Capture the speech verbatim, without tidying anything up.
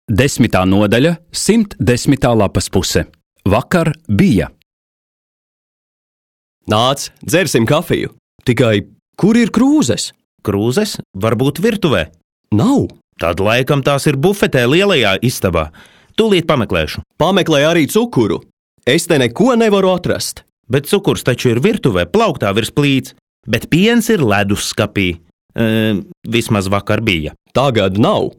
Desmitā nodaļa, simt desmitā lapas puse. Vakar bija. Nāc, dzersim kafiju. Tikai, kur ir krūzes? Krūzes varbūt virtuvē. Nav. Tad laikam tās ir bufetē lielajā istabā. Tūlīt pameklēšu. Pameklē arī cukuru. Es te neko nevaru atrast. Bet cukurs taču ir virtuvē, plauktā virs plīts. Bet piens ir ledusskapī. E, vismaz vakar bija. Tagad nav.